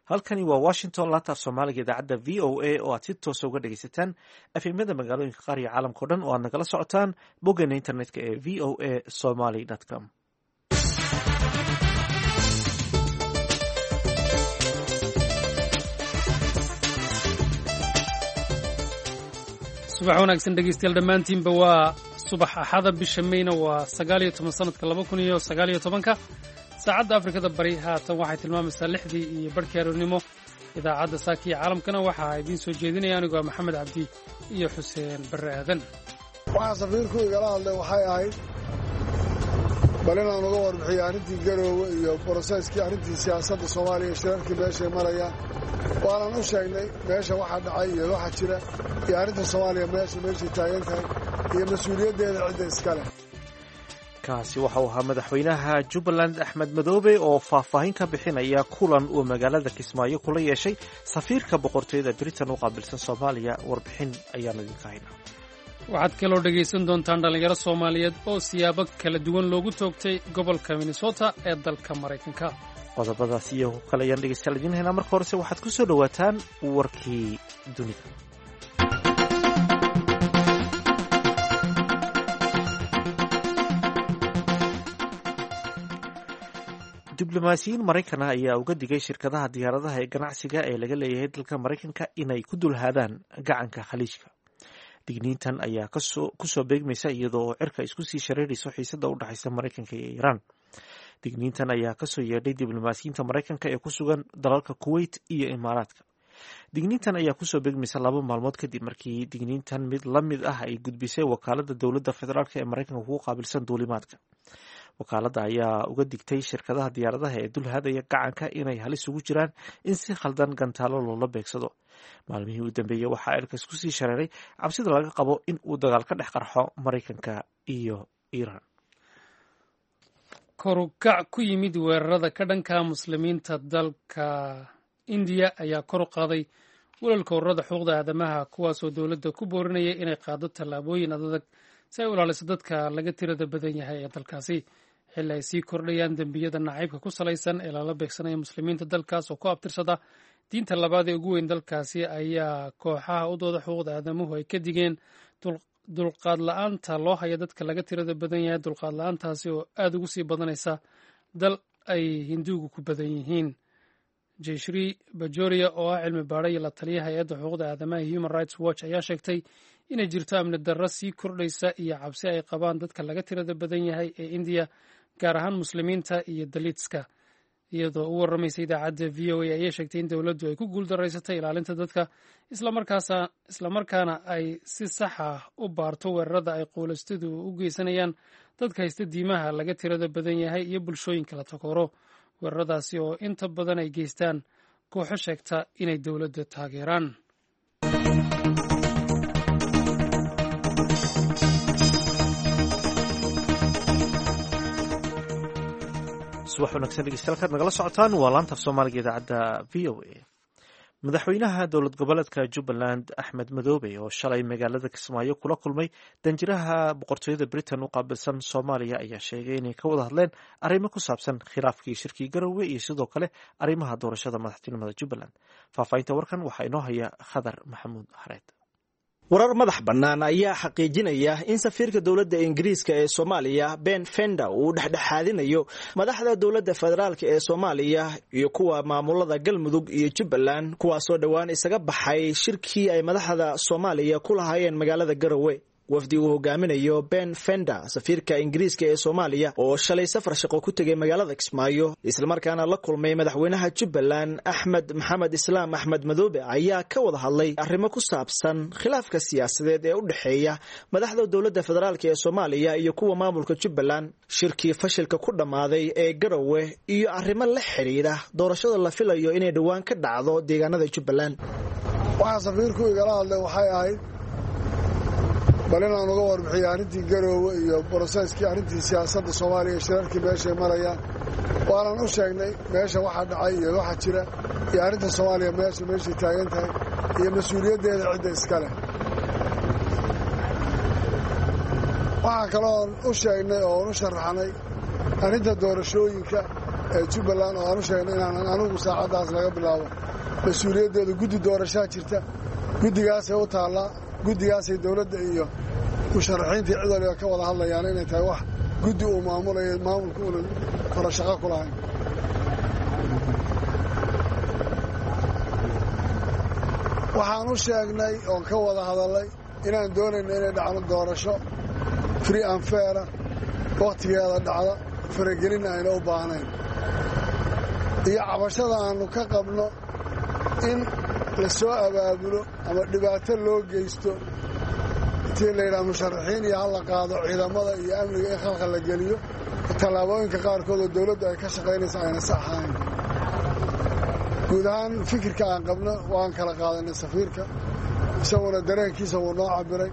Halkani waa Washington, laanta af Soomaaliga idaacadda VOA oo aad si toosa uga dhegaysataan FM-yada magaalooyinka qaar iyo caalamka o dhan oo aad nagala socotaan boggeena internetka ee voasomali.com. Subax wanaagsan, dhegeystayaal dhammaantiinba. Waa subax Axada, bisha Meyna waa 19, sanadka 2019-ka. Saacadda Afrikada Bari haatan waxay tilmaamaysaa 6:30 aroornimo. Idaacadda saaka iyo caalamkana waxaa idiin soo jeedinaya anigoo Maxamed Cabdi iyo Xuseen Barre Aadan. Waxaa safiirku igala hadlay waxay ahayd bal inaan uga warbixiyo arrintii Garoowe iyo process-kii arrintii siyaasadda Soomaaliya, shirarkii meeshay marayaan. Waanan u sheegnay meesha waxa dhacay iyo waxa jira iyo arrinta Soomaaliya meeshay taagan tahay iyo mas-uuliyaddeeda cidda iskale. Kaasi waxa uu ahaa madaxweynaha Jubbaland Axmed Madoobe oo faahfaahin ka bixinaya kulan uu magaalada Kismaayo kula yeeshay safiirka boqortooyada Britain u qaabilsan Soomaaliya. Warbixin ayaanu idinka haynaa. Waxaad kaloo dhegaysan doontaan dhallinyaro Soomaaliyeed oo siyaabo kala duwan loogu toogtay gobolka Minnesota ee dalka Maraykanka. Qodobadaas iyo kale ayaan dhegeystayaal idiin haynaa. Marka horese waxaad ku soo dhowaataan warkii dunida. Diblomaasiyiin Maraykan ah ayaa uga digay shirkadaha diyaaradaha ee ganacsiga ee laga leeyahay dalka Maraykanka inay ku dulhaadaan gacanka Khaliijka. Digniintan ayaa kusoo beegmaysa iyadoo oo cirka isku sii shareerayso xiisada u dhexaysa Maraykanka iyo Iiraan. Digniintan ayaa kasoo yeedhay diblomaasiyiinta Maraykanka ee ku sugan dalalka Kuwait iyo Imaaraadka. Digniintan ayaa kusoo beegmaysa 2 maalmood kadib markii digniintan mid la mid ah ay gudbisay wakaalada dowladda federaalk ee Maraykanka kugu qaabilsan duulimaadka. Wakaaladda ayaa uga digtay shirkadaha diyaaradaha ee dulhaadaya gacanka inay halis ugu jiraan in si khaldan gantaalo loola beegsado. Maalmihii u dambeeyey waxaa cirka isku sii shareeray cabsida laga qabo in uu dagaal ka dhex qarxo Maraykanka iyo Iiraan. Korukac ku yimid weerarada ka dhanka Muslimiinta dalka Indiya ayaa kor u qaaday walalka ururada xuquuqda aadamaha, kuwaasoo dowladda ku boorinaya inay qaado tallaabooyin adadag si ay u ilaaliso dadka laga tirada badan yahay ee dalkaasi, xilli ay sii kordhayaan dembiyada nacaybka ku salaysan ee lala beegsanaya Muslimiinta dalkaas oo ku abtirsada diinta labaad ee ugu weyn dalkaasi. Ayaa kooxaha u dooda xuquuqda aadamuhu ay ka digeen dulqaad la-aanta loo haya dadka laga tirada badan yahay, dulqaad la-aantaasi oo aada ugu sii badanaysa dal ay Hinduugu ku badan yihiin. Jeshri Bajoria oo ah cilmi baadha iyo la taliya hay-adda xuquuqda aadamaha Human Rights Watch ayaa sheegtay inay jirto amni darro sii kordhaysa iyo cabsi ay qabaan dadka laga tirada badan yahay ee Indiya, gaar ahaan Muslimiinta iyo Daliitska. Iyadoo u warramaysa idaacadda VOA ayay sheegtay in dowladdu ay ku guuldaraysatay ilaalinta dadka, islamarkaana ay si sax ah u baarto weerarada ay quulaystadu u geysanayaan dadka haysta diimaha laga tirada badan yahay iyo bulshooyinka la takooro, weeraradaasi oo inta badan ay geystaan kooxo sheegta inay dowladda taageeraan. Subax wanaagsan, dhegeystayaal, kaad nagala socotaan waa laanta af Soomaaliga idaacadda VOA. Madaxweynaha dowlad goboleedka Jubbaland Axmed Madoobe oo shalay magaalada Kismaayo kula kulmay danjiraha boqortooyada Britain u qaabilsan Soomaaliya ayaa sheegay inay ka wada hadleen arrimo ku saabsan khilaafkii shirkii Garowe iyo sidoo kale arrimaha doorashada madaxtinimada Jubbaland. Faahfaahinta warkan waxaa inoo haya Khadar Maxamuud Xareed. Warar madax bannaan ayaa xaqiijinaya in safiirka dowladda Ingiriiska ee Soomaaliya Ben Fender uu dhexdhexaadinayo madaxda dowladda federaalk ee Soomaaliya iyo kuwa maamulada Galmudug iyo Jubbaland, kuwaasoo dhowaan isaga baxay shirkii ay madaxda Soomaaliya ku lahaayeen magaalada Garowe. Wafdi uu hogaaminayo Ben Fender, safiirka Ingiriiska ee Soomaaliya, oo shalay safar shaqo ku tegay magaalada Kismaayo islamarkaana la kulmay madaxweynaha Jubbaland Axmed Maxamed Islaam Axmed Madoobe, ayaa ka wada hadlay arrimo ku saabsan khilaafka siyaasadeed ee u dhexeeya madaxda dowladda federaalk ee Soomaaliya iyo kuwa maamulka Jubbaland, shirkii fashilka ku dhammaaday ee Garowe, iyo arrimo la xidhiidha doorashada la filayo inay dhowaan ka dhacdo deegaanada Jubbaland. Waxaa safiirku igala hadlay waxay ahayd bal inaan uga warbixiyo arrintii Garoowe iyo process-kii arrintii siyaasadda Soomaaliya, shirarkii meeshay marayaan. Waanan u sheegnay meesha waxa dhacay iyo waxa jira iyo arrinta Soomaaliya meeshay taagan tahay iyo mas-uuliyaddeeda cidda iskale. Waxaa kaloon u sheegnay oon u sharaxnay arrinta doorashooyinka. ee Jubbaland oo aan u sheegnay inaanan anugu saacaddaas laga bilaabo mas-uuliyaddeeda. Guddi doorashaa jirta, guddigaasay u taallaa, guddigaasay dowladda iyo musharaxiintii cid waliba ka wada hadlayaan inay tahay wax guddi uu maamulayo, maamulka uuna farashaqo ku lahayn. Waxaan u sheegnay oon ka wada hadallay inaan doonayno inay dhacdo doorasho free and faira, wakhtigeeda dhacda, faragelinna ayna u baahnayn, iyo cabashada aannu ka qabno in la soo abaabulo ama dhibaato loo geysto intii la yidhaha musharaxiin iyo hala qaado ciidamada iyo amniga in khalkhal la geliyo, tallaabooyinka qaarkood oo dowladdu ay ka shaqaynaysa ayna sax ahayn. Guud ahaan fikirka aan qabno waan kala qaadanay safiirka, isaguna dareenkiisa wuu noo cabiray.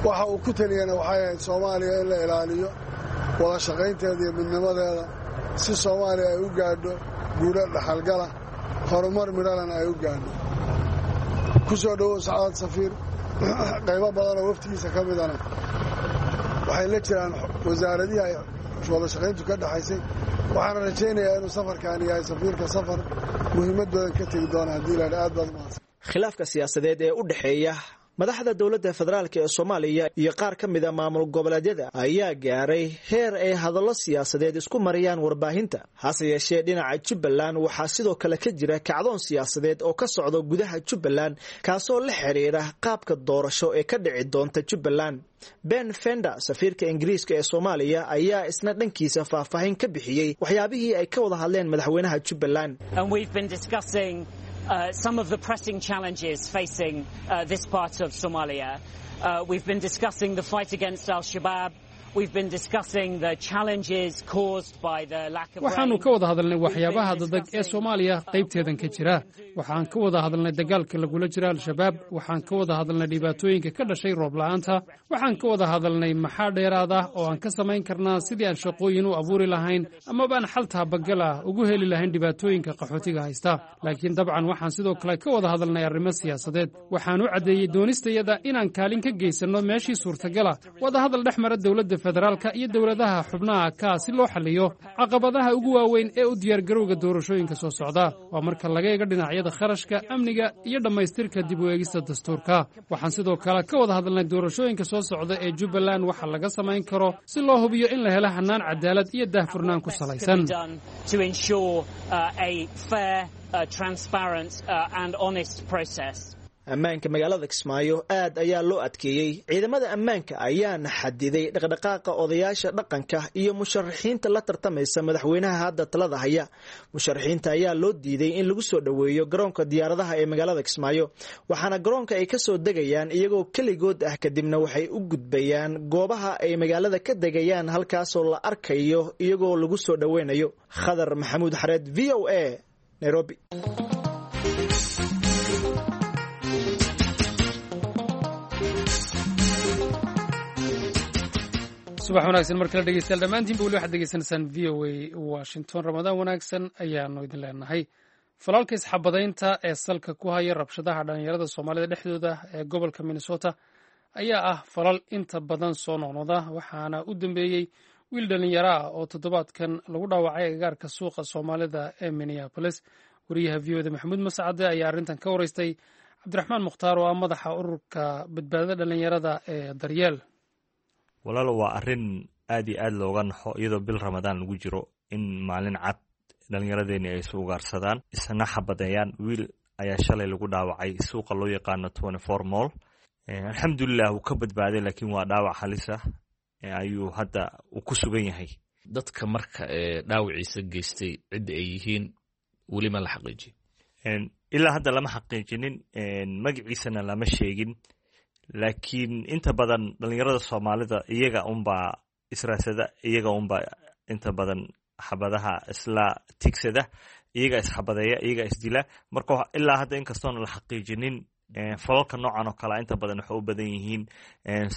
Waxa uu ku taliyana waxay ahayd Soomaaliya in la ilaaliyo wada shaqaynteeda iyo midnimadeeda si Soomaaliya ay u gaadho guulo dhaxalgala, horumar midhalana ay u gaadho. Ku soo dhowow sacaad safiir. Qaybo badan oo waftigiisa ka midana waxay la jiraan wasaaradihii ay wada shaqayntu ka dhexaysay. Waxaana rajaynayaa inuu safarkaani yahay safiirka safar muhiimad badan ka tegi doona haddii laadha. Aad baad umahadsan. Khilaafka siyaasadeed ee u dhexeeya madaxda dowladda federaalk ee Soomaaliya iyo qaar ka mida maamul goboleedyada ayaa gaaray heer ay hadallo siyaasadeed isku mariyaan warbaahinta. Hase yeeshee dhinaca Jubbaland waxaa sidoo kale ka jira kacdoon siyaasadeed oo ka socda gudaha Jubbaland, kaasoo la xiriira qaabka doorasho ee ka dhici doonta Jubbaland. Ben Fender, safiirka Ingiriiska ee Soomaaliya, ayaa isna dhankiisa faahfaahin ka bixiyey waxyaabihii ay ka wada hadleen madaxweynaha Jubbaland. Some of the pressing challenges facing this part of Somalia. We've been discussing the fight against Al-Shabaab. We've been discussing the challenges caused by the lack of Waxaannu ka wada hadalnay waxyaabaha dadag ee Soomaaliya qaybteedan ka jira. Waxaan ka wada hadalnay dagaalka lagula jira Al-Shabaab. Waxaan ka wada hadalnay dhibaatooyinka ka dhashay roob la'aanta. Waxaan ka wada hadalnay maxaa dheeraad ah oo aan ka samayn karnaa sidii aan shaqooyin u abuuri lahayn amaba aan xal taabagal ah ugu heli lahayn dhibaatooyinka qaxootiga haysta. Laakiin dabcan waxaan sidoo kale ka wada hadalnay arrimo siyaasadeed. Waxaan u caddeeyey doonistayada inaan kaalin ka geysanno meeshii suurtagala wadahadal dhex mara dowladda federaalka iyo dowladaha xubnaha kaa si loo xalliyo caqabadaha ugu waaweyn ee u diyaargarowga doorashooyinka soo socda, waa marka laga eego dhinacyada kharashka, amniga iyo dhammaystirka dib u eegista dastuurka. Waxaan sidoo kale ka wada hadalnay doorashooyinka soo socda ee Jubbaland waxa laga samayn karo si loo hubiyo in la helo hannaan cadaalad iyo daahfurnaan ku salaysan. To ensure a fair, transparent and honest process. Ammaanka magaalada Kismaayo aad ayaa loo adkeeyey. Ciidamada ammaanka ayaana xadiday dhaqdhaqaaqa odayaasha dhaqanka iyo musharaxiinta la tartamaysa madaxweynaha hadda talada haya. Musharaxiinta ayaa loo diiday in lagu soo dhoweeyo garoonka diyaaradaha ee magaalada Kismaayo, waxaana garoonka ay kasoo degayaan iyagoo keligood ah, kadibna waxay u gudbayaan goobaha ay magaalada ka degayaan, halkaasoo la arkayo iyagoo lagu soo dhoweynayo. Khadar Maxamuud Xareed, VOA, Nairobi. Subax wanaagsan mar kale dhegeystayaal dhammaantiinba. Weli waxaad degeysanaysaan VOA Washington. Ramadaan wanaagsan ayaanu idin leenahay. Falaalka isxabadaynta ee salka ku haya rabshadaha dhalinyarada Soomaalida dhexdooda ee gobolka Minnesota ayaa ah falal inta badan soo noqnoqda, waxaana u dambeeyey wiil dhalinyaro ah oo toddobaadkan lagu dhaawacay agagaarka suuqa Soomaalida ee Minneapolis. Wariyaha VOA-da Maxamuud Mascade ayaa arrintan ka wareystay Cabdiraxmaan Mukhtaar oo ah madaxa ururka badbaadada dhalinyarada ee Daryeel. Walaalo, waa arrin aad iyo aad looga naxo iyadoo bil Ramadaan lagu jiro in maalin cad dhallinyaradeeni ay isu ugaarsadaan, isna xabadeeyaan. Wiil ayaa shalay lagu dhaawacay suuqa loo yaqaano 24 Mall. Alxamdulilah wuu ka badbaaday, laakiin waa dhaawac halis ah ayuu hadda uu ku sugan yahay. Dadka marka dhaawiciisa geystay cidda ay yihiin weli ma la xaqiijiyo? Ilaa hadda lama xaqiijinin, magaciisana lama sheegin, laakiin inta badan dhalinyarada Soomaalida iyaga unbaa israasada, iyaga unbaa inta badan xabadaha isla tigsada, iyaga isxabadeeya, iyaga isdila. Marka ilaa hadda inkastoona la xaqiijinin, falalka noocan oo kalea inta badan waxay u badan yihiin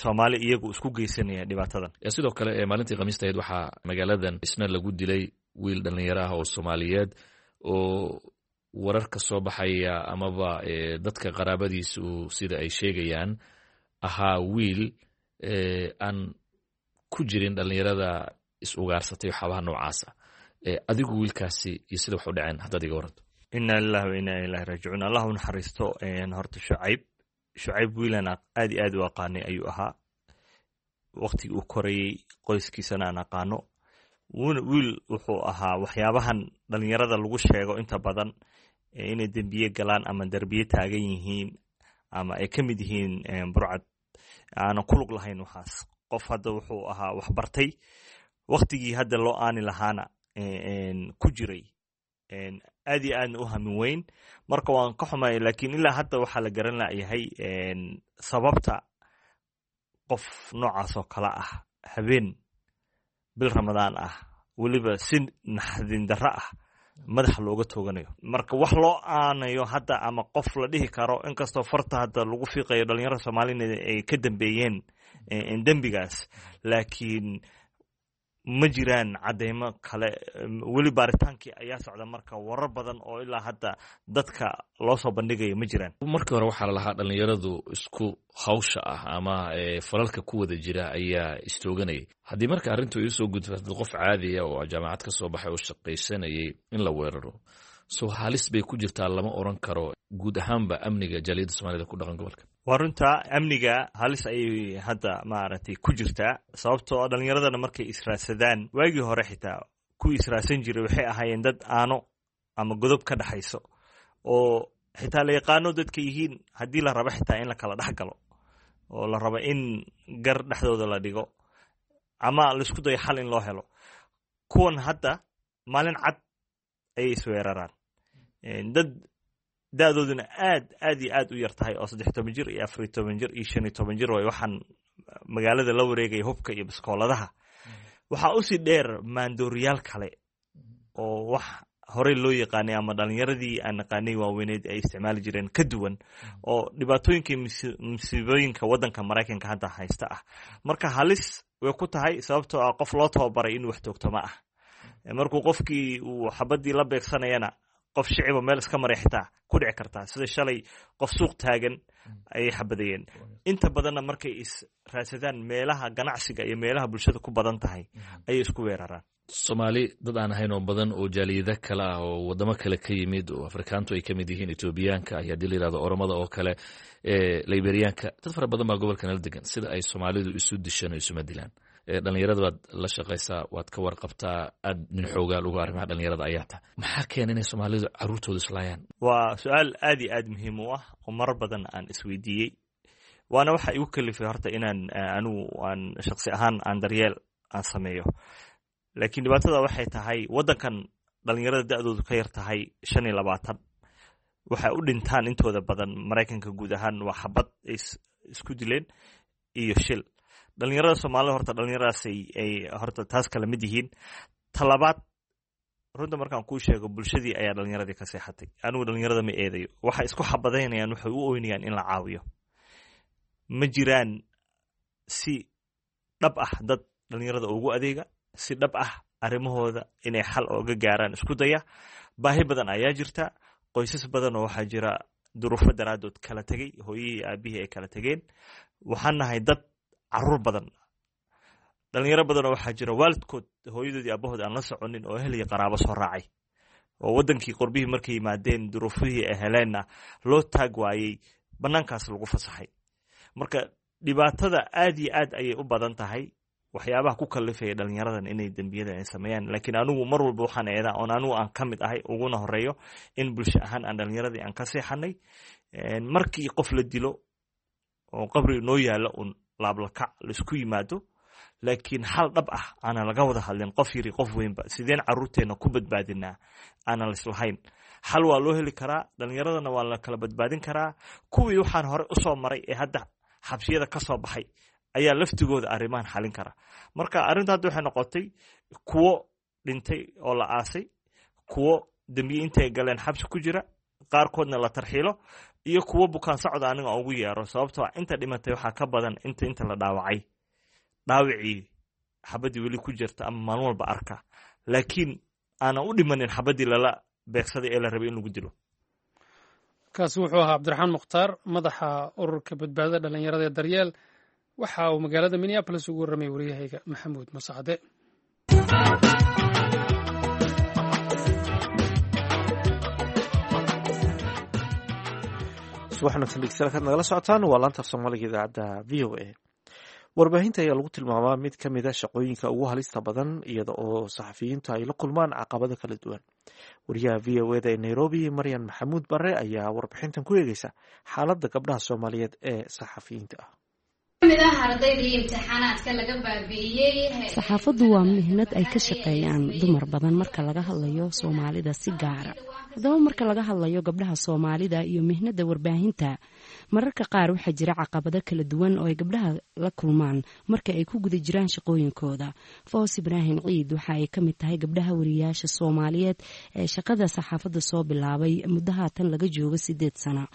Soomaali iyagu isku geysanaya dhibaatadan. Sidoo kale maalintii Khamiista ahayd waxaa magaaladan isna lagu dilay wiil dhalinyaro ah oo Soomaaliyeed oo warar ka soo baxaya amaba dadka qaraabadiisu sida ay sheegayaan ahaa wiil aan ku jirin dhalinyarada is-ugaarsatay waxyaabaha noocaasa. Adigu wiilkaasi iyo sida wax u dhaceen haddaad iga waranto. Inna lilahi wa inna ilahi raajicuun. Allah u naxariisto. Horta Shucayb wiilan aad iyo aad u aqaanay ayuu ahaa. Waqtigii uu korayey qoyskiisana aan aqaano. Wiil wuxuu ahaa waxyaabahan dhalinyarada lagu sheego inta badan inay dembiye galaan ama derbiye taagan yihiin ama ay ka mid yihiin burcad, aanan ku lug lahayn waxaas. Qof hadda wuxuu ahaa waxbartay, waqtigii hadda loo aani lahaana ku jiray, aad iyo aadna u hamin weyn. Marka waan ka xumay, laakiin ilaa hadda waxaa la garan layahay sababta qof noocaas oo kale ah habeen bil Ramadaan ah, weliba si naxdin darro ah, madaxa looga tooganayo. Marka wax loo aanayo hadda ama qof la dhihi karo, inkastoo farta hadda lagu fiiqayo dhalinyarada Soomaalina ay ka dambeeyeen dembigaas, laakiin ma jiraan cadeymo kale. Weli baaritaankii ayaa socda. Marka warar badan oo ilaa hadda dadka loo soo bandhigayo ma jiraan. Markii hore waxaa lalahaa dhalinyaradu isku hawsha ah ama falalka ku wada jira ayaa istooganayay. Haddii marka arrintu iisoo gudfatad, qof caadiya oo jaamacad ka soo baxay oo shaqaysanayay in la weeraro, soo halis bay ku jirtaa lama oran karo guud ahaanba amniga jaaliyadda Soomaalida ku dhaqan gobolka? Waa runta, amniga halis ayay hadda maaragtay ku jirtaa, sababtoo dhalinyaradana markay israadsadaan, waagii hore xitaa kuwii israadsan jiray waxay ahaayeen dad aano ama godob ka dhexayso oo xitaa la yaqaano dadka yihiin. Haddii la rabo xitaa in la kala dhex galo oo la rabo in gar dhexdooda la dhigo ama laisku dayo xal in loo helo, kuwan hadda maalin cad ayay isweeraraan. Dad da-dooduna aad aad iyo aad u yar tahay oo 13 jir iyo 14 jir iyo 15 jir way waxaan magaalada la wareegaya hubka iyo biskooladaha. Waxaa usii dheer maandooriyaal kale oo wax horey loo yaqaanay ama dhalinyaradii aan naqaanay waaweyneed ay isticmaali jireen ka duwan, oo dhibaatooyinka musiibooyinka waddanka Maraykanka hadda haysta ah. Marka halis way ku tahay, sababtoo ah qof loo tababaray inuu wax toogto ma ah. Markuu qofkii uu xabadii la beegsanayana, qof shiciba meel iska maray xitaa ku dhici kartaa, sida shalay qof suuq taagan ayay xabadayeen. Inta badanna markay is raadsadaan, meelaha ganacsiga iyo meelaha bulshada ku badan tahay ayay isku weeraraan. Soomaali dad aan ahayn oo badan oo jaaliyada kale ah oo waddamo kale ka yimid oo Afrikaantu ay ka mid yihiin, Etoobiyaanka iyo haddii la yihahdo Oromada oo kale, Liberiyaanka, dad fara badan baa gobolka nala degan. Sida ay Soomaalidu isu dishaan oo isuma dilaan. Dhalinyarada baad la shaqaysaa, waad ka warqabtaa, aad nin xoogaal uga arrimaha dhalinyarada ayaa tahay. Maxaa keena inay Soomaalidu carruurtooda islaayaan? Waa su-aal aad iyo aad muhiim u ah oo marar badan aan isweydiiyey, waana waxa igu kalifay horta inaan anigu aan shaqsi ahaan aan daryeel aan sameeyo. Laakiin dhibaatada waxay tahay waddankan dhalinyarada da-doodu ka yar tahay 25 waxay u dhintaan intooda badan Maraykanka guud ahaan waa xabad ay isku dileen iyo shil. Dhalinyarada Soomaalida horta dhalinyaradaas ay horta taas kala mid yihiin. Talabaad, runta markaan kuu sheego, bulshadii ayaa dhalinyaradii ka seexatay. Anigu dhalinyarada ma eedayo. Waxay isku xabadaynayaan, waxay u oynayaan in la caawiyo. Ma jiraan si dhab ah dad dhalinyarada ugu adeega, si dhab ah arrimahooda inay xal ooga gaaraan isku daya. Baahi badan ayaa jirta. Qoysas badan oo waxaa jira duruufo daraaddood kala tegey, hooyihii aabihii ay kala tegeen. Waxaan nahay dad caruur badan. Dhalinyaro badanoo waxaa jira waalidkood, hooyadood iyo aabahood aan la soconin oo ehel iyo qaraabo soo raacay, oo waddankii qorbihii markay yimaadeen duruufihii ay heleenna loo taag waayey, bannaankaas lagu fasaxay. Marka dhibaatada aad iyo aad ayay u badan tahay, waxyaabaha ku kalifaya dhalinyaradan inay dembiyada ay sameeyaan. Laakiin anigu mar walba waxaan eedaa oon anigu aan ka mid ahay uguna horeeyo in bulsho ahaan aan dhalinyaradii aan ka seexanay. Markii qof la dilo oo qabri noo yaalla un laablakac laisku yimaado, laakiin xal dhab ah aanan laga wada hadlin, qof yiri qof weynba, sideen caruurteenna ku badbaadinaa aanan laislahayn. Xal waa loo heli karaa, dhalinyaradana waa la kala badbaadin karaa. Kuwii waxaan hore usoo maray ee hadda xabsiyada ka soo baxay ayaa laftigooda arrimahan xalin kara. Marka arrinta hadda waxay noqotay kuwo dhintay oo la aasay, kuwo dembiye intay galeen xabsi ku jira, qaarkoodna la tarxiilo, iyo kuwo bukaan socda aniga ugu yeero, sababtoo ah inta dhimatay waxaa ka badan inta la dhaawacay. Dhaawacii xabaddii weli ku jirta ama maalin walba arka, laakiin aanan u dhimanin xabaddii lala beegsaday ee la rabay in lagu dilo. Kaasi wuxuu ahaa Cabdiraxmaan Mukhtaar, madaxa ururka badbaadada dhalinyarada ee Daryeel. Waxa uu magaalada Minneapolis ugu warramay waryahayga Maxamuud Masacade. Subax wanaagsan dhegeystayaal, kaad nagala socotaan waa laanta af Soomaaliga idaacadda VOA. Warbaahinta ayaa lagu tilmaamaa mid ka mid a shaqooyinka ugu halista badan, iyada oo saxafiyiintu ay la kulmaan caqabado kala duwan. Wariyaha VOA da ee Nairobi, Maryan Maxamuud Bare, ayaa warbixintan ku eegeysa xaaladda gabdhaha Soomaaliyeed ee saxafiyiinta ah. Saxaafaddu waa mihnad ay ka shaqeeyaan dumar badan marka laga hadlayo Soomaalida si gaara. Haddaba, marka laga hadlayo gabdhaha Soomaalida iyo mihnada warbaahinta, mararka qaar waxaa jira caqabado kala duwan oo ay gabdhaha la kulmaan marka ay ku guda jiraan shaqooyinkooda. Foos Ibraahim Ciid waxa ay ka mid tahay gabdhaha wariyaasha Soomaaliyeed ee shaqada saxaafadda soo bilaabay muddo haatan laga joogo 8 sano.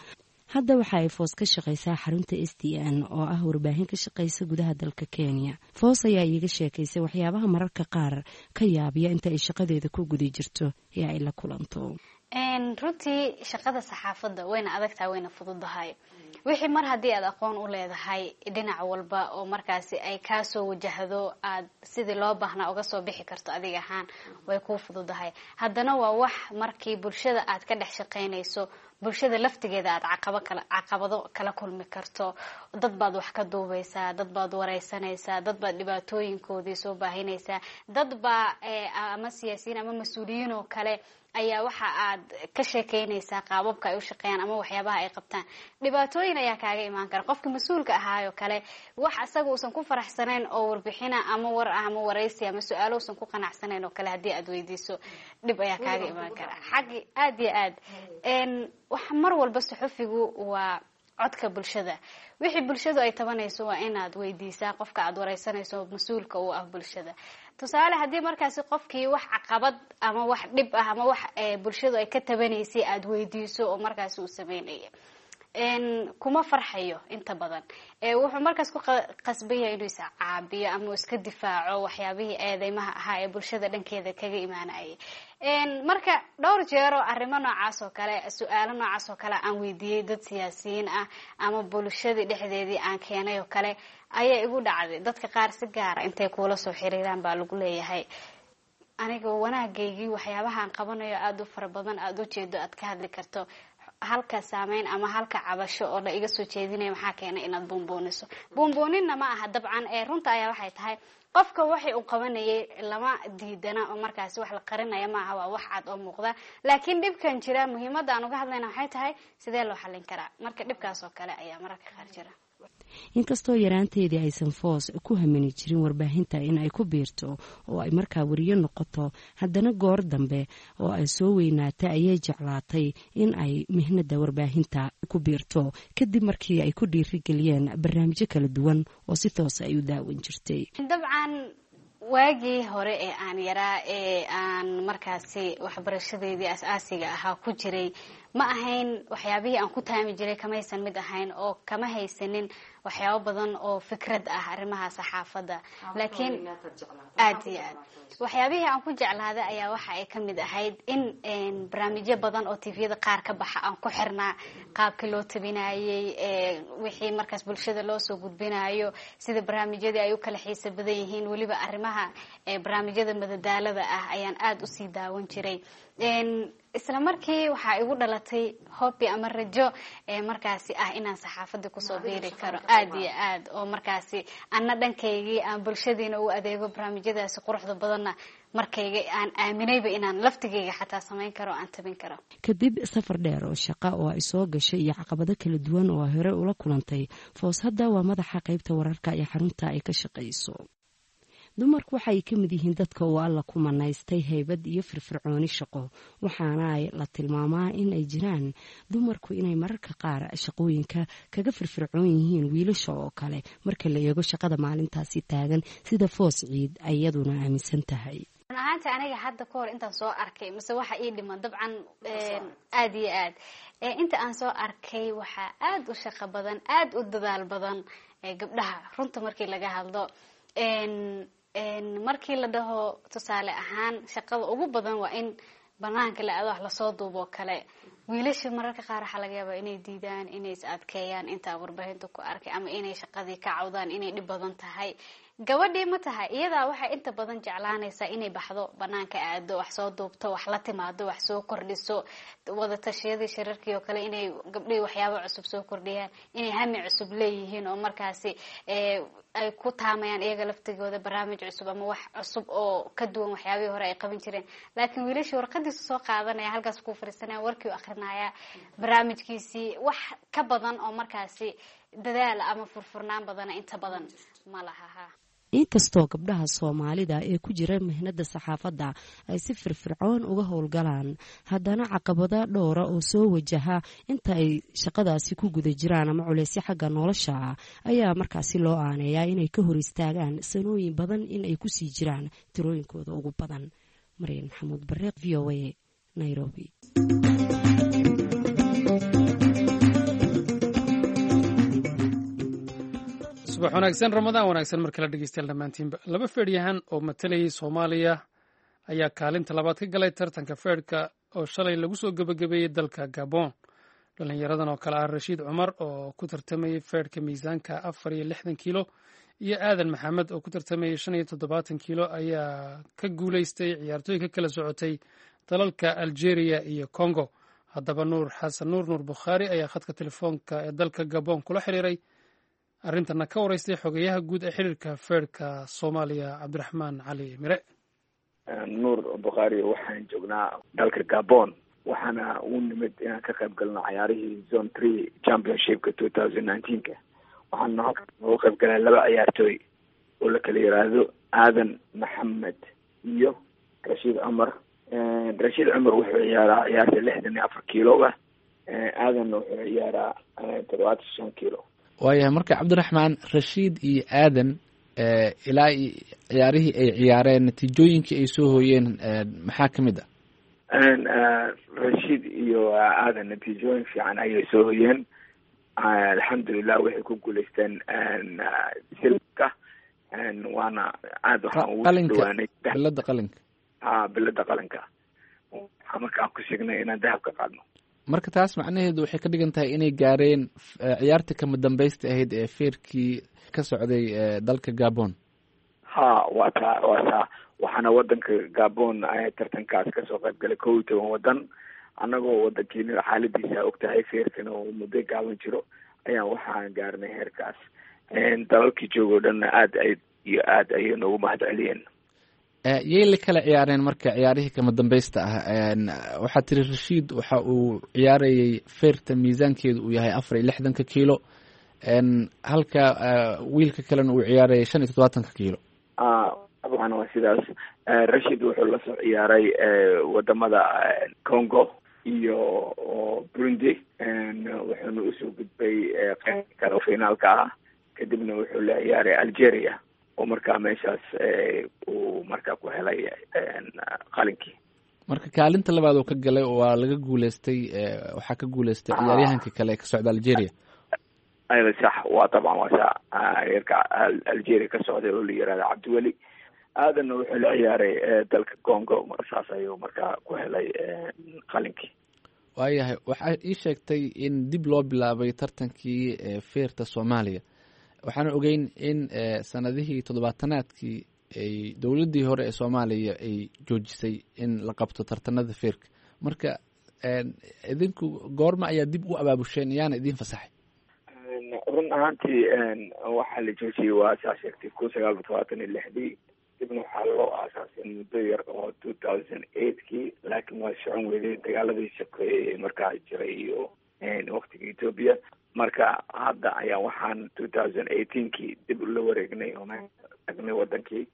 Hadda waxa ay Foos ka shaqaysaa xarunta STN oo ah warbaahin ka shaqaysa gudaha dalka Kenya. Foos ayaa iiga sheekaysay waxyaabaha mararka qaar ka yaabiya inta ay shaqadeeda ku guda jirto ee ay la kulanto. Runtii shaqada saxaafadda wayna adagtahay, wayna fududahay. Wixii mar haddii aad aqoon u leedahay dhinac walba oo markaasi ay kaasoo wajahdo, aad sidii loo baahnaa uga soo bixi karto adiga ahaan, way kuu fududahay. Haddana waa wax markii bulshada aad ka dhex shaqaynayso, bulshada laftigeeda aad caqabado kala kulmi karto. Dad baad wax ka duubaysaa, dad baad wareysanaysaa, dad baad dhibaatooyinkoodii soo baahinaysaa, dad baa ama siyaasiyiin ama mas-uuliyiin oo kale ayaa waxa aad ka sheekeynaysaa qaababka ay u shaqeeyaan ama waxyaabaha ay qabtaan. Dhibaatooyin ayaa kaaga imaan kara. Qofka mas-uulka ahaayoo kale, wax asaga uusan ku faraxsanayn oo warbixina ama war ah ama waraysi ama su-aalo uusan ku qanacsanayn oo kale haddii aad weydiiso, dhib ayaa kaaga imaan kara xaggi. Aad iyo aad wax mar walba suxufigu waa codka bulshada. Wixii bulshadu ay tabanayso waa inaad weydiisaa qofka aad wareysanayso, mas-uulka u ah bulshada. Tusaale, haddii markaasi qofkii wax caqabad ama wax dhib ah ama wax bulshadu ay ka tabanaysay aada weydiiso oo markaasi uu sameynaya, kuma farxayo inta badan. Wuxuu markaas ku qasban yahay inuu iscaabiyo ama uu iska difaaco waxyaabihii eedeymaha ahaa ee bulshada dhankeeda kaga imaanayay. Marka dhowr jeero arrimo noocaas oo kale, su-aalo noocaas oo kale aan weydiiyey dad siyaasiyiin ah ama bulshadii dhexdeedii aan keenay oo kale ayaa igu dhacday. Dadka qaar si gaara intay kuula soo xiriiraan baa lagu leeyahay, aniga wanaagaygii waxyaabaha aan qabanayo aada u fara badan, aada u jeedo, aad ka hadli karto halka saameyn ama halka cabasho oo la iga soo jeedinaya, maxaa keenay inaad buunbuuniso? Buunbuuninna ma aha dabcan, ee runta ayaa waxay tahay qofka waxay uu qabanayay lama diidana oo markaasi wax la qarinaya maaha, waa wax cad oo muuqda. Laakiin dhibkan jira, muhiimadda aan uga hadlayna waxay tahay sidee loo xallin karaa. Marka dhibkaas oo kale ayaa mararka qaar jira. Inkastoo yaraanteedii aysan Foos ku hamini jirin warbaahinta in ay ku biirto oo ay markaa wariyo noqoto, haddana goor dambe oo ay soo weynaatay ayay jeclaatay in ay mihnada warbaahinta ku biirto, kadib markii ay ku dhiirigeliyeen barnaamijyo kala duwan oo si toosa ay u daawan jirtay. Dabcan waagii hore ee aan yaraa ee aan markaasi waxbarashadeedii as-aasiga ahaa ku jiray, ma ahayn waxyaabihii aan ku taami jiray, kamaysan mid ahayn oo kama haysanin waxyaabo badan oo fikrad ah arrimaha saxaafadda. Laakiin aad iyo aad waxyaabihii aan ku jeclaaday ayaa waxa ay ka mid ahayd in barnaamijyo badan oo TV-yada qaar ka baxa aan ku xirnaa, qaabkii loo tabinayey, wixii markaas bulshada loo soo gudbinayo, sida barnaamijyadii ay u kala xiisa badan yihiin. Weliba arrimaha barnaamijyada madadaalada ah ayaan aada usii daawan jiray. Isla markii waxaa igu dhalatay hobi ama rajo markaasi ah inaan saxaafadda kusoo biiri karo aada iyo aad, oo markaasi anna dhankaygii aan bulshadiina u adeego, barnaamijyadaasi quruxda badanna markayga aan aaminayba inaan laftigayga xataa samayn karo, aan tabin karo. Kadib safar dheer oo shaqa oo ay soo gashay iyo caqabado kala duwan oo ay hore ula kulantay, Foos hadda waa madaxa qaybta wararka ee xarunta ay ka shaqayso. Dumarku waxa ay ka mid yihiin dadka uu Alla ku manaystay haybad iyo firfircooni shaqo, waxaana ay la tilmaamaa in ay jiraan dumarku inay mararka qaar shaqooyinka kaga firfircoon yihiin wiilasha oo kale marka la eego shaqada maalintaasi taagan, sida Foos Ciid ay iyaduna aaminsan tahay. Run ahaanti aniga hadda ka hor intaan soo arkay mise waxa ii dhiman, dabcan aada iyo aad inta aan soo arkay, waxaa aada u shaqo badan, aada u dadaal badan gabdhaha. Runta markii laga hadlo, markii la dhaho tusaale ahaan shaqada ugu badan waa in banaanka la aado, wax lasoo duuboo kale, wiilasha mararka qaar waxaa laga yaabaa inay diidaan, inay is adkeeyaan intaa warbaahinta ku arkay, ama inay shaqadii ka cawdaan inay dhib badan tahay. Gabadhii ma tahay, iyadaa waxay inta badan jeclaanaysaa inay baxdo, banaanka aado, wax soo duubto, wax la timaado, wax soo kordhiso, wada tashiyadii, shirarkii oo kale, inay gabdhihii waxyaabo cusub soo kordhiyaan, inay hami cusub leeyihiin oo markaasi ay ku taamayaan iyaga laftigooda barnaamij cusub ama wax cusub oo ka duwan waxyaabihii hore ay qaban jireen. Laakiin wiilashii warqadiisu soo qaadanaya, halkaas ku fariisanaya, warkii u akrinaya, barnaamijkiisii wax ka badan oo markaasi dadaal ama furfurnaan badana inta badan ma laha ha. Inkastoo gabdhaha Soomaalida ee ku jira mihnada saxaafadda ay si firfircoon uga howlgalaan, haddana caqabado dhowra oo soo wajaha inta ay shaqadaasi ku guda jiraan ama culeysyo xagga nolosha ah ayaa markaasi loo aaneeyaa inay ka hor istaagaan sanooyin badan in ay kusii jiraan tirooyinkooda ugu badan. Maryan Maxamuud Bareeq, VOA, Nairobi. Subax wanaagsan, Ramadaan wanaagsan mar kale dhegeystayaal dhammaantiinba. Laba feedhyahan oo matalayay Soomaaliya ayaa kaalinta labaad ka galay tartanka feedhka oo shalay lagu soo gebagabeeyey dalka Gabon. Dhallinyaradan oo kale ah Rashiid Cumar oo ku tartamayey feedhka miisaanka 64 kiilo iyo Aadan Maxamed oo ku tartamayey 75 kiilo ayaa ka guuleystay ciyaartooy ka kala socotay dalalka Algeria iyo Congo. Haddaba Nuur Xasan Nuur, Nuur Bukhaari, ayaa khadka telefoonka ee dalka Gabon kula xiriiray, arrintana ka wareystay xogeyaha guud ee xiriirka feerhka Soomaaliya, Cabdiraxmaan Cali Mire. Nuur Bukhaari, waxaan joognaa dalka Gabon, waxaana u nimid inaan ka qayb galno cayaarihii Zone 3 Championshipka 2019-ka. Waxaana halka uga qayb galay laba ciyaartooy oo la kala yiraahdo Aadan Maxamed iyo Rashiid Cumar. Rashiid Cumar wuxuu ciyaaraa ciyaarta 64 kiiloga, Aadanna wuxuu ciyaaraa 75 kiilo. Waayahay, marka Cabdiraxmaan, Rashiid iyo Aadan ilaa ciyaarihii ay ciyaareen natiijooyinkii ay soo hooyeen maxaa ka mid ah? Rashiid iyo Aadan natiijooyin fiican ayay soo hoyeen, alxamdulilah. Waxay ku guuleysteen silka, waana aada waxaan ugu dhawaanay bilada qalinka. Ha, bilada qalinka. Waxaa markaan ku sheegnay inaan dahab ka qaadno. Marka taas macnaheedu waxay ka dhigan tahay inay gaareen ciyaarta kama dambaysta ahayd ee feerkii ka socday dalka Gabon. Ha, waa taa, waa taa. Waxaana wadanka Gabon tartankaas kasoo qayb galay 11 wadan. Annagoo wadankiina xaaladiisa og tahay, feerkana oo muddo gaaban jiro, ayaan waxaan gaarnay heerkaas. Dalalkii joogo dhanna aad ay iyo aad ayay noogu mahad celiyeen. Yay la kala ciyaareen marka ciyaarihii kama dambaysta ah? Waxaa tiri Rashiid waxa uu ciyaarayay feerta miisaankeedu uu yahay 64-ka kiilo, halka wiilka kalena uu ciyaarayay 75-ka kiilo. Dabcan waa sidaas. Rashid wuxuu lasoo ciyaaray wadamada Congo iyo Burundi, wuxuuna usoo gudbay qeyb kale finaalka ah. Kadibna wuxuu la ciyaaray Algeria oo markaa meeshaas uu markaa ku helay qalinkii. Marka kaalinta labaad oo ka galay waa laga guuleystay, waxaa ka guuleystay ciyaaryahankii kale ee ka socda Algeria. Sax, waa dabcan waa saa, reerka Algeria ka socday oo la yirahda Cabdiweli. Aadanna wuxuu la ciyaaray dalka Congo, saas ayuu markaa ku helay qalinkii. Waayahay, waxaa ii sheegtay in dib loo bilaabay tartankii feerta Soomaaliya. Waxaana ogeyn in sanadihii toddobaatanaadkii ay dowladdii hore ee Soomaaliya ay joojisay in la qabto tartanada feerka. Marka idinku goorma ayaa dib u abaabusheen, yaana idiin fasaxay? Run ahaantii waxaa la joojiyey, waa saa sheegtay, 1976-dii. Dibna waxaa loo aasaasay muddo yar oo 2008-kii, laakiin waa socon weyday dagaaladii sokeeyey markaa jiray iyo waktiga Ethiopia. Marka hadda ayaa waxaan 2018-kii dib ula wareegnay oo tagnay wadankii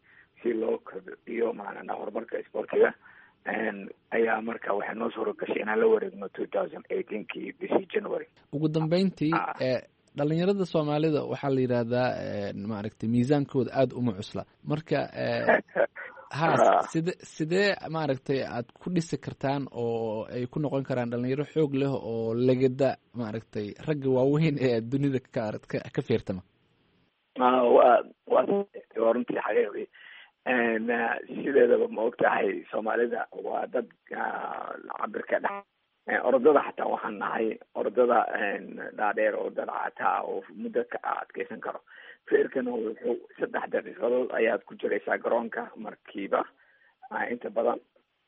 si loo kobciyo maanana horumarka isboortiga. Ayaa marka waxay noo suura gashay inaan la wareegno 2018-kii bishii January. Ugu dambeyntii, dhalinyarada Soomaalida waxaa la yidhaahdaa maaragtay miisaankooda aada uma cusla. Marka ha sidee maaragtay aad ku dhisi kartaan oo ay ku noqon karaan dhalinyaro xoog leh oo legada maaragtay ragga waaweyn ee dunida ka feertama? Wa waa runtii xaqiiqdii. Sideedaba ma og tahay, Soomaalida waa dad cabirka dhex orodada, xataa waxaan nahay orodada dhaadheer oo dad cataa oo muddo ka adkeysan karo. Feerkana wuxuu 3 daqiiqadood ayaad ku jiraysaa garoonka markiiba inta badan.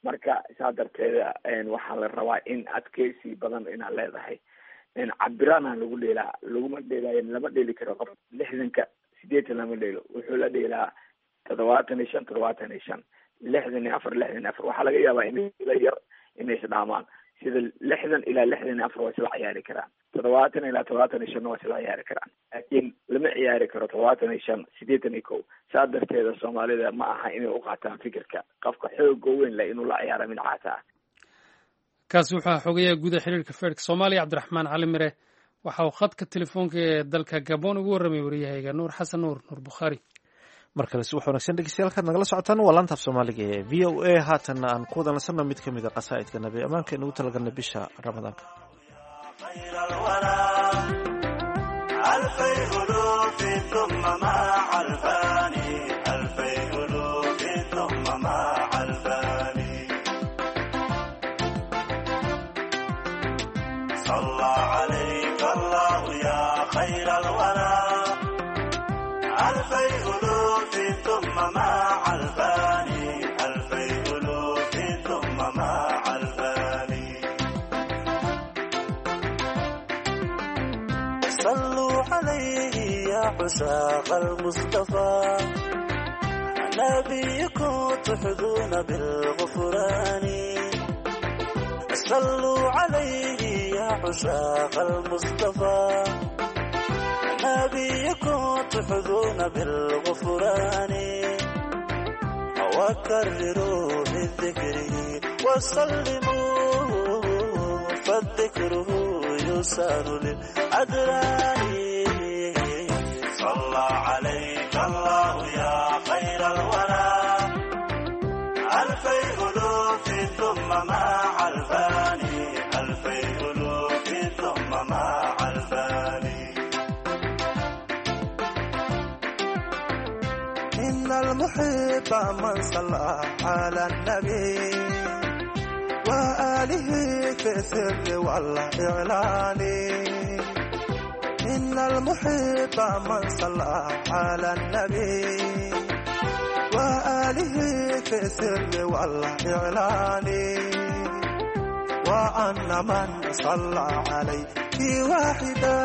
Marka saa darteeda waxaa la rabaa in adkeysi badan inaad leedahay. Cabirana lagu dheelaa, laguma dheelaayo, lama dheeli karo qof 60-ka 80 lama dheelo. Wuxuu la dheelaa 75, 75, 64, 64. Waxaa laga yaabaa in la yar inay isdhaamaan, sida 60 ilaa 64 waa isla ciyaari karaan, 70 ilaa 75 waa isla ciyaari karaan, laakiin lama ciyaari karo 75, 81. Saa darteeda Soomaalida ma aha inay u qaataan fikirka qofka xooga weyn leh inuu la ciyaaro mid caata ah. Kaasi wuxuu xogayaha guud ee xiriirka feerka Soomaaliya, Cabdiraxmaan Cali Mire. Waxa uu khadka telefoonka ee dalka Gabon ugu warramay waryahayga Nuur Xasan Nuur, Nuur Bukhaari. Mar kale si wax wanaagsan dhegeystayaal kaad nagala socotaan waa laanta af Soomaaliga ee VOA. Haatanna aan ku wada nasanno mid ka mid a qasaa'idka nabi ammaanka inugu talagalnay bisha Ramadaanka. عشاق المصطفى نبيكم تحظون بالغفران، صلوا عليه يا عشاق المصطفى نبيكم تحظون بالغفران، وكرروا بالذكر وسلموا فالذكر يسار للأدران. صلى عليك الله يا خير الورى، 2000 ألوف ثم مع الفاني، 2000 ألوف ثم مع الفاني. إن المحب من صلى على النبي وآله في السر والإعلان، إن المحب من صلى على النبي وآله في السر والإعلان، وأن من صلى عليه واحدا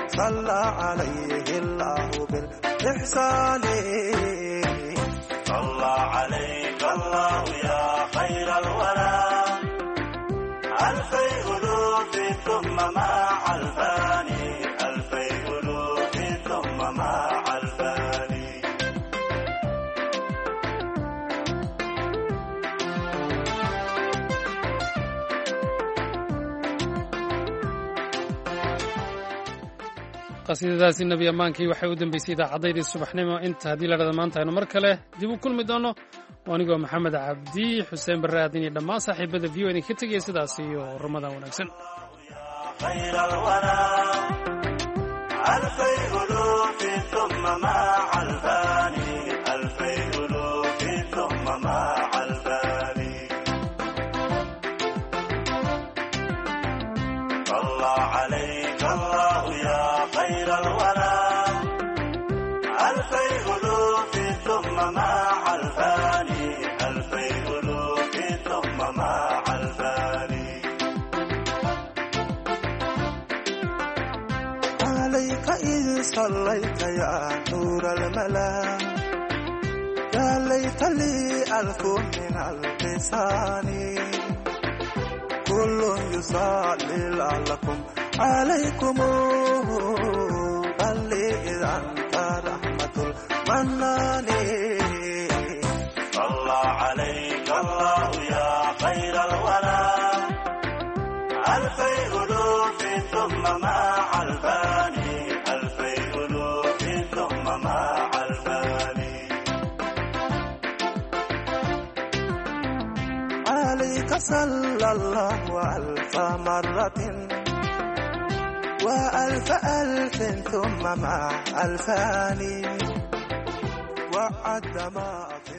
صلى عليه الله بالإحسان. صلى عليك الله يا خير الورى، 2000 ألوف ثم مع الفاني، 2000 ألوف ثم مع الفاني. Qasiidadaasi nebi ammaankii waxay u dambeysay idaacaddaydi subaxnimo. Inta haddii la dhada maanta aynu mar kale dib u kulmi doono, oo anigoo Maxamed Cabdi Xuseen Barre Aadin iyo dhammaan saaxiibada VOA idinka tegaya sidaas iyo Ramadaan wanaagsan. خير الورى، 2000 ألوف ثم مع الفاني، 2000 ألوف ثم مع الفاني. صلى عليك الله يا خير الورى، 2000 ألوف ثم مع الفاني، 2000 ألوف ثم مع الفاني. عليك إذ صليت يا نور الملا، يا ليت لي ألف من اللسان، كل يصلي لعلكم عليكم، بل إذا أنت رحمة المنان. صلى عليك الله يا خير الورى، 2000 ألوف ثم مع الفاني، 2000 ألوف ثم مع الفاني. عليك صلى الله 1000 مرة و1000 ألف ثم مع 2000، وعد ما في